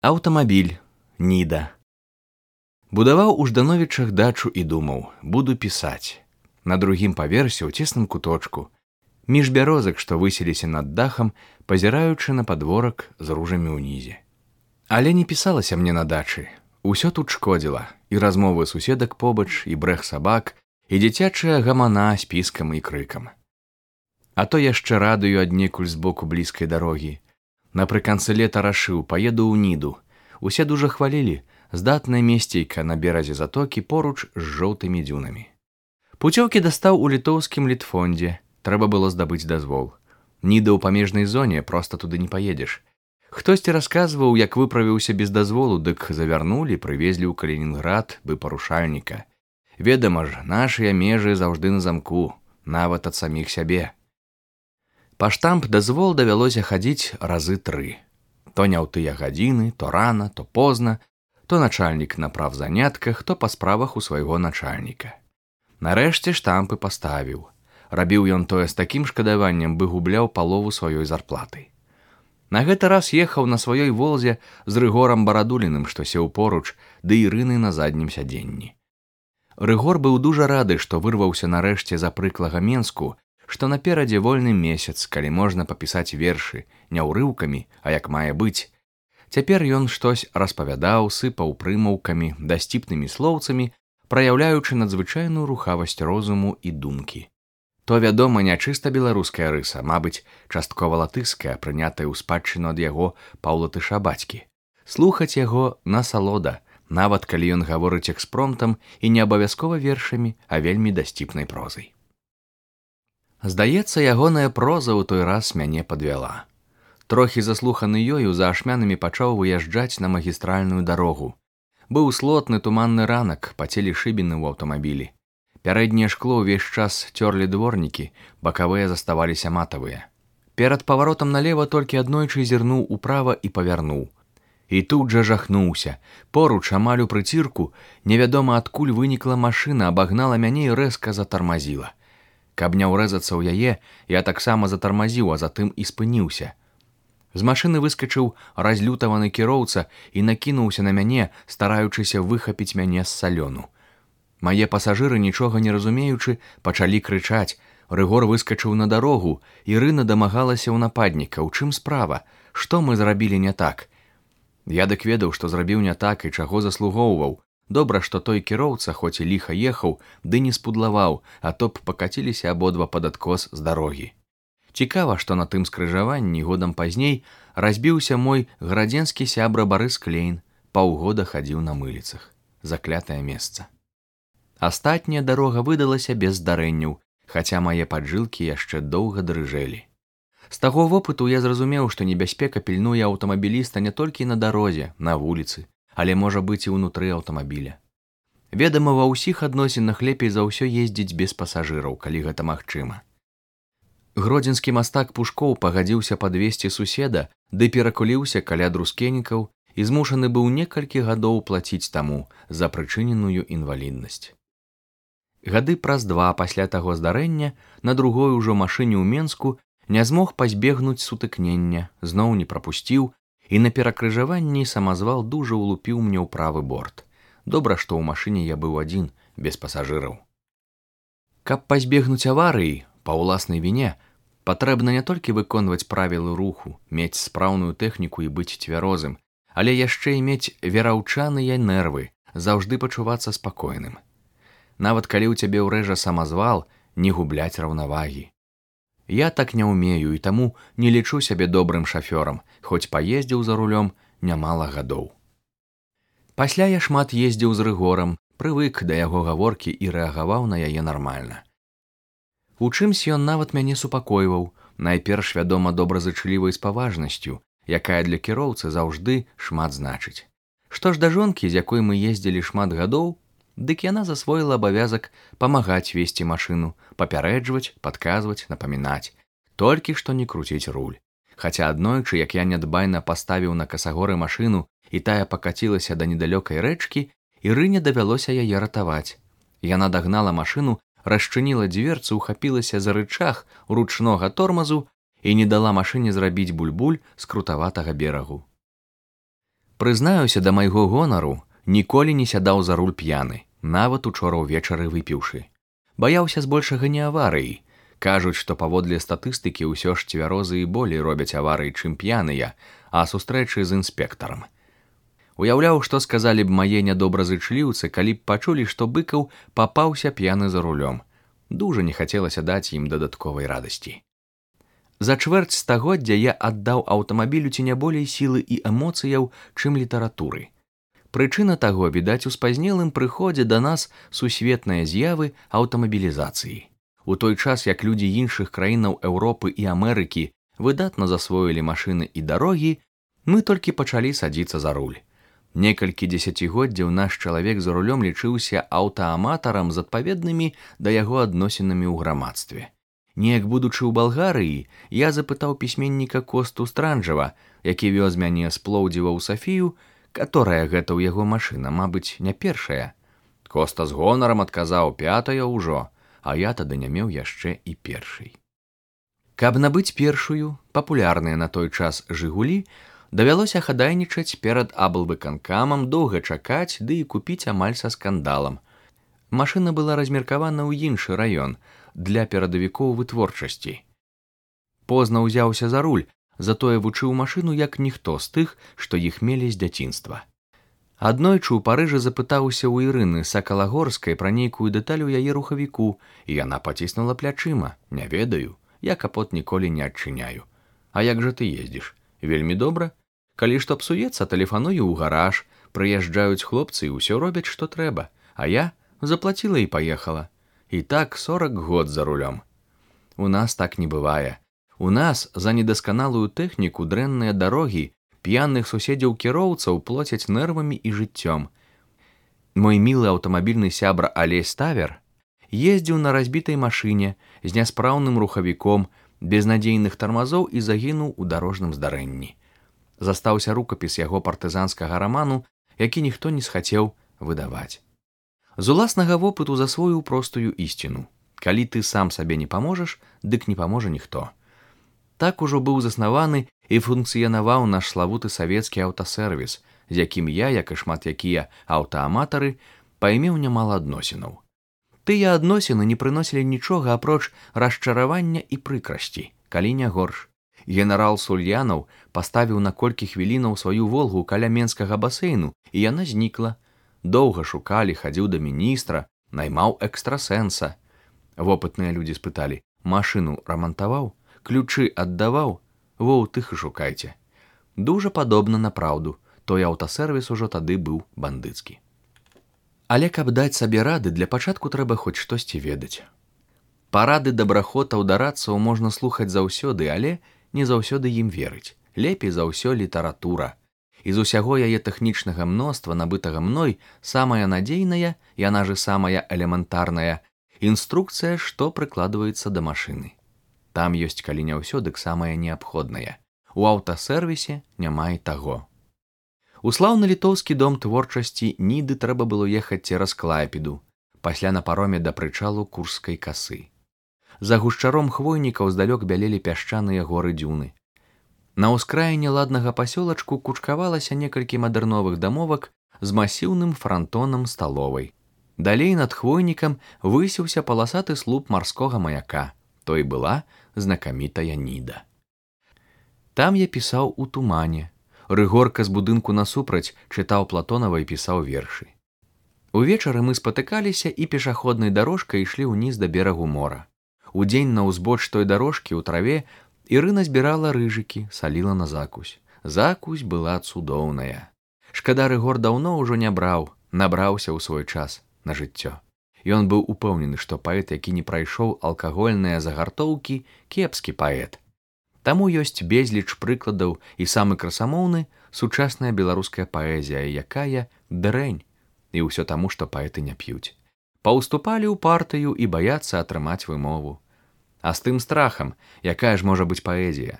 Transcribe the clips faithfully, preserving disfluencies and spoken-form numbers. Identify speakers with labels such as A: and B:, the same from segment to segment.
A: Аўтамабіль, Ніда. Будаваў у Ждановічах дачу і думаў, буду пісаць. На другім паверсе ў цесным куточку, між бярозак, што высіліся над дахам, пазіраючы на падворак з ружамі ўнізе. Але не пісалася мне на дачы. Усё тут шкодзіла, і размовы суседак побач, і брэх сабак, і дзіцячая гамана з піскам і крыкам. А то яшчэ радыё аднекуль збоку блізкай дарогі. Напрыканцы лета рашыў, паеду ў Ніду. Усе дужа хвалілі, здатная месцейка на беразе затокі поруч з жоўтымі дзюнамі. Пуцёўкі дастаў у літоўскім літфондзе, трэба было здабыць дазвол. Ніда ў памежнай зоне, проста туды не паедзеш. Хтосьці расказваў, як выправіўся без дазволу, дык завярнулі, прывезлі ў Калінінград бы парушальніка. Ведама ж, нашыя межы заўжды на замку, нават ад саміх сябе. Па штамп дазвол давялося хадзіць разы тры. То не ў тыя гадзіны, то рана, то позна, то начальнік на правзанятках, то па справах у свайго начальніка. Нарэшце штампы паставіў. Рабіў ён тое з такім шкадаваннем, бы губляў палову сваёй зарплаты. На гэты раз ехаў на сваёй волзе з Рыгорам Барадуліным, што сеў поруч, ды Ірыны на заднім сядзенні. Рыгор быў дужа рады, што вырваўся нарэшце за прыклага Менску, што наперадзе вольны месяц, калі можна папісаць вершы, не ўрыўкамі, а як мае быць. Цяпер ён штось распавядаў, сыпаў прымаўкамі, дасціпнымі слоўцамі, праяўляючы надзвычайную рухавасць розуму і думкі. То, вядома, не чыста беларуская рыса, мабыць, часткова латышская, прынятая ў спадчыну ад яго паўлатыша бацькі. Слухаць яго насалода, нават калі ён гаворыць экспромтам і не абавязкова вершамі, а вельмі дасціпнай прозай. Здаецца, ягоная проза ў той раз мяне падвяла. Трохі заслуханы ёю, за ашмянамі пачаў выязджаць на магістральную дарогу. Быў слотны туманны ранак, пацелі шыбіны ў аўтамабілі. Пярэдняе шкло ўвесь час цёрлі дворнікі, бакавыя заставаліся матавыя. Перад паваротам налева толькі аднойчы зірнуў управа і павярнуў. І тут жа жахнуўся. Поруч, амаль у прыцірку, невядома адкуль вынікла машына, абагнала мяне і рэзка затармазіла. Каб не ўрэзацца ў яе, я таксама затармазіў, а затым і спыніўся. З машыны выскачыў разлютаваны кіроўца і накінуўся на мяне, стараючыся выхапіць мяне з салёну. Мае пасажыры, нічога не разумеючы, пачалі крычаць. Рыгор выскачыў на дарогу, Ірына дамагалася ў нападніка. У чым справа? Што мы зрабілі не так? Я дык ведаў, што зрабіў не так і чаго заслугоўваў. Добра, што той кіроўца, хоць і ліха ехаў, ды не спудлаваў, а то б пакаціліся абодва пад адкос з дарогі. Цікава, што на тым скрыжаванні годам пазней разбіўся мой градзенскі сябра Барыс Клейн, паўгода хадзіў на мыліцах. Заклятае месца. Астатняя дарога выдалася без здарэнняў, хаця мае паджылкі яшчэ доўга дрыжэлі. З таго вопыту я зразумеў, што небяспека пільнуе аўтамабіліста не толькі на дарозе, на вуліцы, але можа быць і ўнутры аўтамабіля. Ведама, ва ўсіх адносінах лепей за ўсё ездзіць без пасажыраў, калі гэта магчыма. Гродзенскі мастак Пушкоў пагадзіўся падвесці суседа, ды перакуліўся каля друскенікаў і змушаны быў некалькі гадоў плаціць таму за прычыненую інваліднасць. Гады праз два пасля таго здарэння на другой ужо машыне ў Менску не змог пазбегнуць сутыкнення, зноў не прапусціў, і на перакрыжаванні самазвал дужа ўлупіў мне ў правы борт. Добра, што ў машыне я быў адзін, без пасажыраў. Каб пазбегнуць аварыі, па ўласнай віне, патрэбна не толькі выконваць правілы руху, мець спраўную тэхніку і быць цвярозым, але яшчэ і мець вераўчаныя нервы, заўжды пачувацца спакойным. Нават калі ў цябе ўрэжа самазвал, не губляць раўнавагі. Я так не ўмею і таму не лічу сябе добрым шафёрам, хоць паездзіў за рулём нямала гадоў. Пасля я шмат ездзіў з Рыгорам, прывык да яго гаворкі і рэагаваў на яе нармальна. У чымсь ён нават мяне супакойваў, найперш, вядома, добразычлівай з паважнасцю, якая для кіроўцы заўжды шмат значыць. Што ж да жонкі, з якой мы ездзілі шмат гадоў, дык яна засвоіла абавязак памагаць весці машыну, папярэджваць, падказваць, напамінаць. Толькі што не круціць руль. Хаця аднойчы, як я нядбайна паставіў на касагоры машыну і тая пакацілася да недалёкай рэчкі, Ірыне давялося яе ратаваць. Яна дагнала машыну, расчыніла дзверцу, ухапілася за рычаг ручнога тормазу і не дала машыне зрабіць буль-буль з крутаватага берагу. Прызнаюся, да майго гонару, ніколі не сядаў за руль п'яны, нават учора ўвечары выпіўшы. Баяўся збольшага не аварыі. Кажуць, што паводле статыстыкі ўсё ж цвярозы і болей робяць аварыі, чым п'яныя, а сустрэчы з інспектарам. Уяўляў, што сказалі б мае нядобразычліўцы, калі б пачулі, што Быкаў папаўся п'яны за рулём. Дужа не хацелася даць ім дадатковай радасці. За чвэрць стагоддзя я аддаў аўтамабілю ці не болей сілы і эмоцыяў, чым літаратуры. Прычына таго, відаць, у спазнелым прыходзе да нас сусветныя з'явы аўтамабілізацыі. У той час, як людзі іншых краінаў Еўропы і Амерыкі выдатна засвоілі машыны і дарогі, мы толькі пачалі садзіцца за руль. Некалькі дзесяцігоддзяў наш чалавек за рулём лічыўся аўтааматарам з адпаведнымі да яго адносінамі ў грамадстве. Неяк будучы ў Балгарыі, я запытаў пісьменніка Косту Странджава, які вёз мяне з Плоўдзіва ў Сафію, каторая гэта ў яго машына, мабыць, не першая. Коста з гонарам адказаў: пятая ўжо, а я тады не меў яшчэ і першай. Каб набыць першую, папулярныя на той час «Жигулі», давялося хадайнічаць перад аблвыканкамам, доўга чакаць, ды і купіць амаль са скандалам. Машына была размеркавана ў іншы раён, для перадавікоў вытворчасці. Позна ўзяўся за руль, затое вучыў машыну як ніхто з тых, што іх мелі з дзяцінства. Аднойчы ў Парыжы запытаўся ў Ірыны Сакалагорскай пра нейкую дэталь у яе рухавіку, і яна паціснула плячыма: «Не ведаю, я капот ніколі не адчыняю». «А як жа ты ездзіш?» «Вельмі добра. Калі што псуецца, тэлефаную ў гараж, прыязджаюць хлопцы і ўсё робяць, што трэба, а я заплаціла і паехала». І так сорак год за рулём. У нас так не бывае. У нас за недасканалую тэхніку, дрэнныя дарогі, п'яных суседзяў кіроўцаў плоцяць нервамі і жыццём. Мой мілы аўтамабільны сябра Алесь Тавер ездзіў на разбітай машыне з няспраўным рухавіком, без надзейных тармазоў і загінуў у дарожным здарэнні. Застаўся рукапіс яго партызанскага раману, які ніхто не схацеў выдаваць. З уласнага вопыту засвоіў простую ісціну: калі ты сам сабе не паможаш, дык не паможа ніхто. Так ужо быў заснаваны і функцыянаваў наш славуты савецкі аўтасервіс, з якім я, як і шмат якія аўтааматары, паймеў нямала адносінаў. Тыя адносіны не прыносілі нічога апроч расчаравання і прыкрасці, калі не горш. Генерал Сульянаў паставіў на колькі хвілінаў сваю волгу каля менскага басейну, і яна знікла. Доўга шукалі, хадзіў да міністра, наймаў экстрасэнса. Вопытныя людзі спыталі: машыну рамантаваў, ключы аддаваў? Во ў тых і шукайце. Дужа падобна на праўду, той аўтасервіс ужо тады быў бандыцкі. Але каб даць сабе рады, для пачатку трэба хоць штосьці ведаць. Парады дабрахотаў да радцаў можна слухаць заўсёды, але не заўсёды ім верыць. Лепей за ўсё літаратура. І з усяго яе тэхнічнага мноства, набытага мной, самая надзейная, яна же самая элементарная, інструкцыя, што прыкладваецца да машыны. Там ёсць, калі не ўсё, дык самае неабходнае. У аўтасервісе няма і таго. У слаўны літоўскі дом творчасці Ніды трэба было ехаць цераз Клайпеду, пасля на пароме да прычалу Курскай касы. За гушчаром хвойнікаў здалёк бялелі пясчаныя горы дзюны. На ўскраіне ладнага пасёлачку кучкавалася некалькі мадэрновых дамовак з масіўным франтонам сталовай. Далей над хвойнікам высіўся паласаты слуп марскога маяка. То і была знакамітая Ніда. Там я пісаў у тумане. Рыгорка з будынку насупраць чытаў Платонава і пісаў вершы. Увечары мы спатыкаліся і пешаходнай дарожкай ішлі ўніз да берагу мора. Удзень на ўзбоч той дарожкі ў траве Ірына збірала рыжыкі, саліла на закусь. Закусь была цудоўная. Шкада, Рыгор даўно ўжо не браў, набраўся ў свой час на жыццё. Ён быў упэўнены, што паэт, які не прайшоў алкагольныя загартоўкі, кепскі паэт. Таму ёсць безліч прыкладаў і самы красамоўны сучасная беларуская паэзія, якая дрэнь. І ўсё таму, што паэты не п'юць. Паўступалі ў партыю і баяцца атрымаць вымову. А з тым страхам, якая ж можа быць паэзія?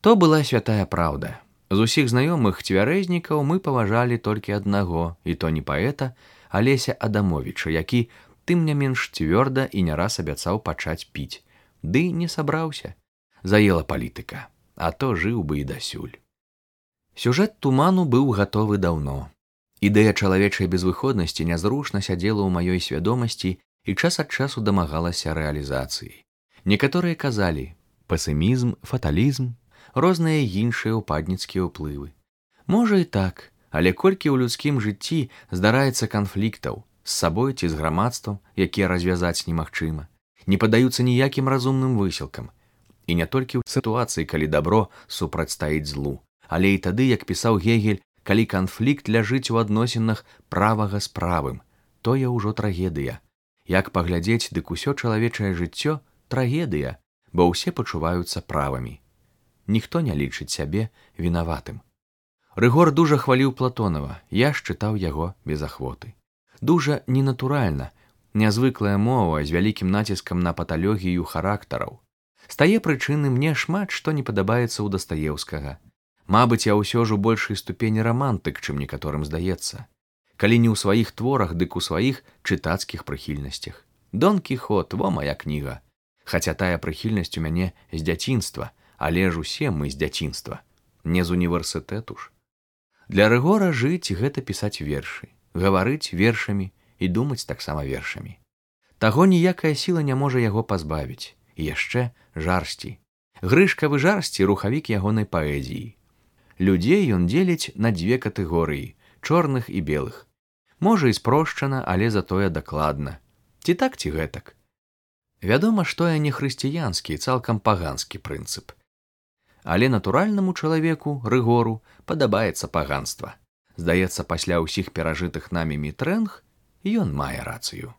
A: То была святая праўда. З усіх знаёмых цвярэзнікаў мы паважалі толькі аднаго, і то не паэта, а Леся Адамовіча, які, тым не менш, цвёрда і не раз абяцаў пачаць піць. Ды не сабраўся. Заела палітыка, а то жыў бы і дасюль. Сюжэт туману быў гатовы даўно. Ідэя чалавечай безвыходнасці нязручна сядзела ў маёй свядомасці і час ад часу дамагалася рэалізацыі. Некаторыя казалі песімізм, фаталізм, розныя іншыя упадніцкія ўплывы. Можа і так, але колькі ў людскім жыцці здараецца канфліктаў з сабой ці з грамадствам, якія развязаць немагчыма, не падаюцца ніякім разумным высілкам. І не толькі ў сітуацыі, калі дабро супрацьстаіць злу, але і тады, як пісаў Гегель, калі канфлікт ляжыць у адносінах правага з правым, тое ўжо трагедыя. Як паглядзець, дык усё чалавечае жыццё трагедыя, бо ўсе пачуваюцца правымі. Ніхто не лічыць сябе вінаватым. Рыгор дужа хваліў Платонава, я ж чытаў яго без ахвоты. Дужа ненатуральна, нязвыклая мова з вялікім націскам на паталогію характараў. З тае прычыны мне шмат што не падабаецца ў Дастаеўскага. Мабыць, я ўсё ж у большай ступені рамантык, чым некаторым здаецца. Калі не ў сваіх творах, дык у сваіх чытацкіх прыхільнасцях. Дон Кіхот, во мая кніга. Хаця тая прыхільнасць у мяне з дзяцінства, але ж усе мы з дзяцінства, не з універсітэту ж. Для Рыгора жыць гэта пісаць вершы, гаварыць вершамі і думаць таксама вершамі. Таго ніякая сіла не можа яго пазбавіць. І яшчэ жарсці. Грышкавы жарсці рухавік ягонай паэзіі. Людзей ён дзеліць на дзве катэгорыі, чорных і белых. Можа і спрошчана, але затое дакладна. Ці так, ці гэтак. Вядома, што я не хрысціянскі, цалкам паганскі прынцып. Але натуральнаму чалавеку, Рыгору, падабаецца паганства. Здаецца, пасля ўсіх перажытых намі мітрэнг, ён мае рацыю.